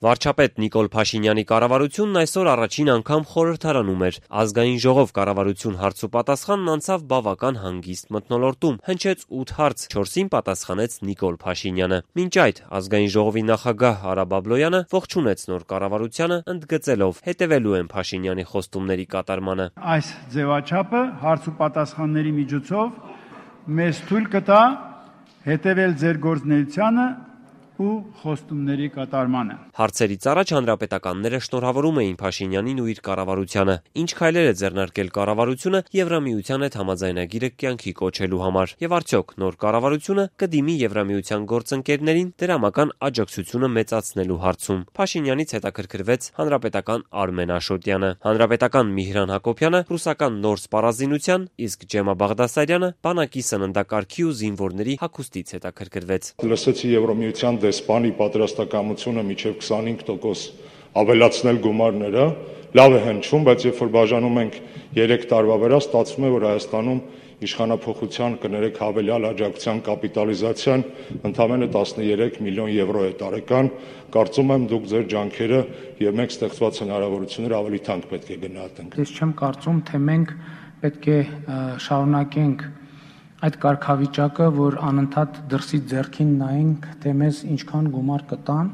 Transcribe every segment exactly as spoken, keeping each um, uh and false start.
Վարչապետ Նիկոլ Փաշինյանի կառավարությունն այսօր առաջին անգամ խորհրդարանում էր։ Ազգային ժողով կառավարություն հարց ու պատասխանն անցավ բավական հանգիստ մթնոլորտում, հնչեց ութ հարց, չորսին պատասխանեց Նիկոլ Փաշինյանը։ Մինչ այդ Ազգային ժողովի նախագահ Արա Բաբլոյանը ողջունեց նոր կառավարությանը, ընդգծելով հետևելու են Փաշինյանի խոստումների կատարմանը։ Այս ձևաչափը հարց ու պատասխանների միջոցով մեզ թույլ կտա հետևել ձեր գործունեությանը ու խոստումների կատարմանը։ Հարցերից առաջ հանրապետականները շնորհավորում էին Փաշինյանին ու իր կառավարությանը, ինչ քայլեր է ձեռնարկել կառավարությունը Եվրամիության հետ համաձայնագիրը կյանքի կոչելու համար, եւ արդյոք նոր կառավարությունը կդիմի Եվրամիության գործընկերներին դրամական աջակցությունը մեծացնելու հարցում։ Փաշինյանից հետաքրքրվեց հանրապետական Արմեն Աշոտյանը, հանրապետական Միհրան Հակոբյանը ռուսական նոր սպառազինության, իսկ Ջեմա Բաղդասարյանը բանակի սննդակարգի ու զինվորների հագուստից հետաքրքրվեց։ Լսեցի Եվրամիության դեսպանի պատրաստակամությունը մինչև քսանհինգ տոկոս ավելացնել գումարները, լավ է հնչում, բայց երբ որ բաժանում ենք երեք տարվա վրա, ստացվում է, որ Հայաստանում իշխանափոխության կներեք հավելյալ աջակցության կապիտալիզացիան ընդամենը տասներեք միլիոն եվրո է տարեկան, կարծում եմ դուք ձեր ջանքերը եւ մենք ստեղծված հնարավորությունները ավելի թանկ պետք է գնահատենք։ Ես չեմ կարծում, թե մենք պետք է շարունակենք այդ կարգավիճակը, որ անընդհատ դրսից ձեռքին նայենք, թե մեզ ինչքան գումար կտան,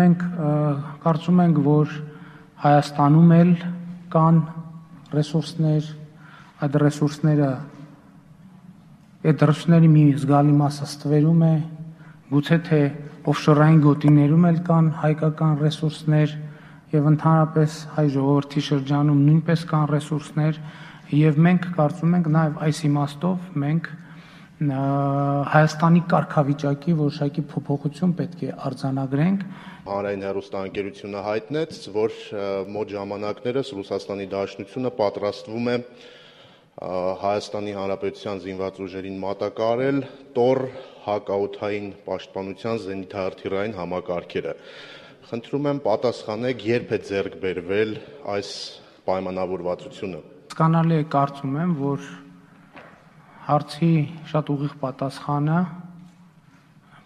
մենք կարծում ենք, որ Հայաստանում էլ կան ռեսուրսներ, այդ ռեսուրսները, այդ ռեսուրսների մի զգալի մասը ստվերում է, գուցե թե օֆշորային գոտիներում էլ կան հայկական ռեսուրսներ եւ ընդհանրապես հայ ժողովրդի շրջանում նույնպես կան ռեսուրսներ եւ մենք կարծում ենք նաեւ այս իմաստով մենք Հայաստանի կարգավիճակի որոշակի փոփոխություն պետք է արձանագրենք։ Հանրային հեռուստաընկերությունը հայտնեց, որ մոտ ժամանակներս Ռուսաստանի Դաշնությունը պատրաստվում է Հայաստանի Հանրապետության զինված ուժերին մատակարարել տոռ հակաօդային պաշտպանության զենիթահրթիռային համակարգերը։ Խնդրում եմ պատասխանեք, երբ է ձեռք բերվել այս պայմանավորվածությունը։ Հասկանալի է, կարծում եմ, որ հարցի շատ ուղիղ պատասխանը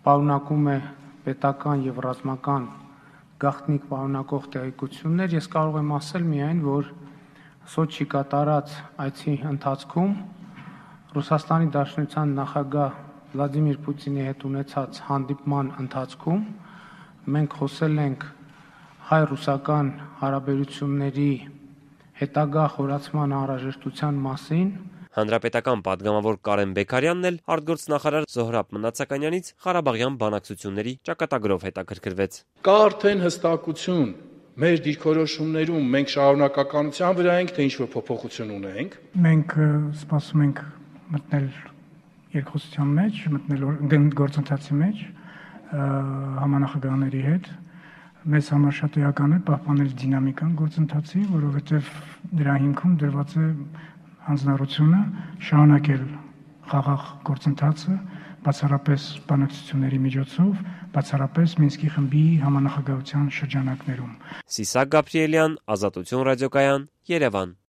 պարունակում է պետական եւ ռազմական գաղտնիք պարունակող տեղեկություններ։ Ես կարող եմ ասել միայն, որ Սոչի կատարած այցի ընթացքում Ռուսաստանի Դաշնության նախագահ Վլադիմիր Պուտինի հետ ունեցած հանդիպման ընթացքում մենք խոսել ենք հայ-ռուսական հարաբերությունների հետագա խորացման անհրաժեշտության մասին։ Հանրապետական падգամավոր Կարեն Բեկարյանն էլ արտգործնախարար Զոհրաբ Մնացականյանից Ղարաբաղյան բանակցությունների ճակատագրով հետաքրքրվեց։ Կա արդեն հստակություն մեր դիրքորոշումներում, մենք շարունակականության վրա ենք, թե ինչ-որ փոփոխություն ունենք։ Մենք սպասում ենք մտնել երկխոսության մեջ, մտնել գործընթացի մեջ համանախագահների հետ։ Մեզ համար շատ էական է պահպանել դինամիկան գործընթացի, որովհետև դրա հիմքում դրված է հանձնառությունը շարունակել խաղաղ գործընթացը, բացառապես բանակցությունների միջոցով, բացառապես Մինսկի խմբի համանախագահության շրջանակներում։ Սիսակ Գաբրիելյան, Ազատություն ռադիոկայան, Երևան։